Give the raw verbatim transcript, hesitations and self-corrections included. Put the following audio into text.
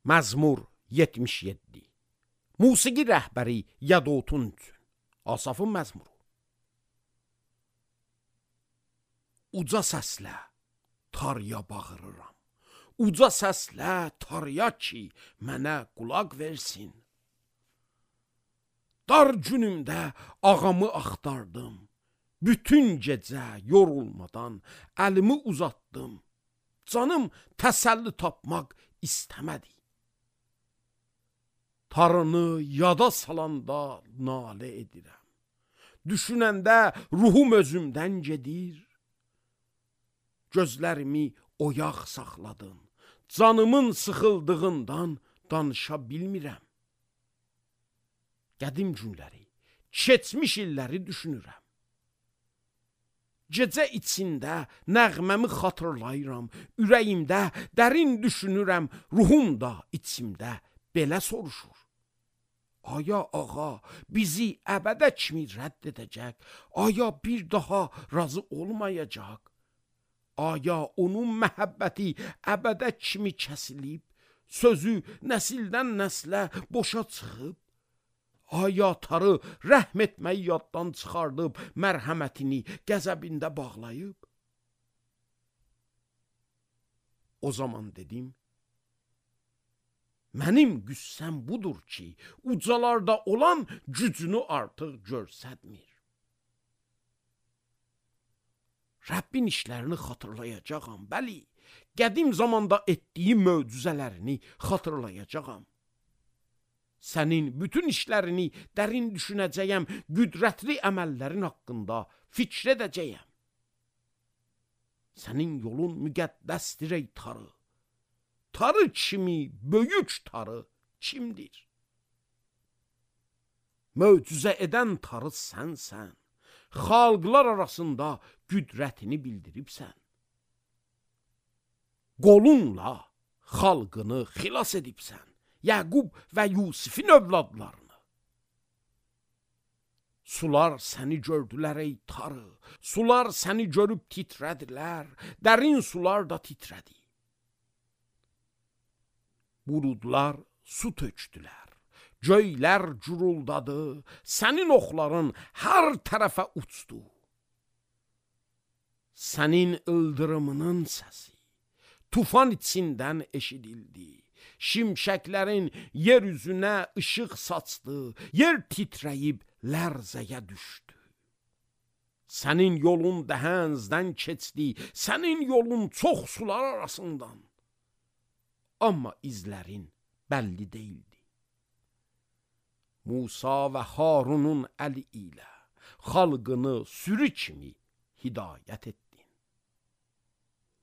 Məzmur yetmiş yeddi. Musiqi rəhbəri Yadutun üçün. Asafın məzmuru. Uca səslə tarıya bağırıram. Uca səslə tarıya ki, mənə qulaq versin. Dar günümdə ağamı axtardım. Bütün gecə yorulmadan əlimi uzatdım. Canım təsəlli tapmaq istəmədi. Tarını yada salanda nalə edirəm. Düşünəndə ruhum özümdən gedir. Gözlərimi oyaq saxladın. Canımın sıxıldığından danışa bilmirəm. Qədim günləri, keçmiş illəri düşünürəm. Gecə içində nəğməmi xatırlayıram. Ürəyimdə dərin düşünürəm. Ruhum da içimdə belə soruşur. Aya ağa bizi əbədə kimi rədd edəcək? Aya bir daha razı olmayacaq? Aya onun məhəbbəti əbədə kimi kəsilib? Sözü nəsildən nəslə boşa çıxıb? Aya tarı rəhm etməyi yaddan çıxardıb, mərhəmətini qəzəbində bağlayıb? O zaman dedim, mənim qüssəm budur ki, ucalarda olan gücünü artıq görsətmir. Rəbbin işlərini xatırlayacağam, bəli, qədim zamanda etdiyi möcüzələrini xatırlayacağam. Sənin bütün işlərini dərin düşünəcəyəm, qüdrətli əməllərin haqqında fikr edəcəyəm. Sənin yolun müqəddəsdir ey tarı. Tarı kimi böyük tarı kimdir? Möcüzə edən tarı sənsən. Xalqlar arasında qüdrətini bildiribsən. Qolunla xalqını xilas edibsən. Yaqub və Yusifin övladlarını. Sular səni gördülər ey tarı. Sular səni görüb titrədilər. Dərin sular da titrədi. Buludlar su tökdülər. Göylər guruldadı. Sənin oxların hər tərəfə uçdu. Sənin ildırımının səsi tufan içindən eşidildi. Şimşəklərin yer üzünə işıq saçdı. Yer titrəyib lərzəyə düşdü. Sənin yolun dəhənzdən keçdi. Sənin yolun çox sular arasından. Amma izlərin bəlli deyildi. Musa və Harunun əli ilə xalqını sürü kimi hidayət etdi.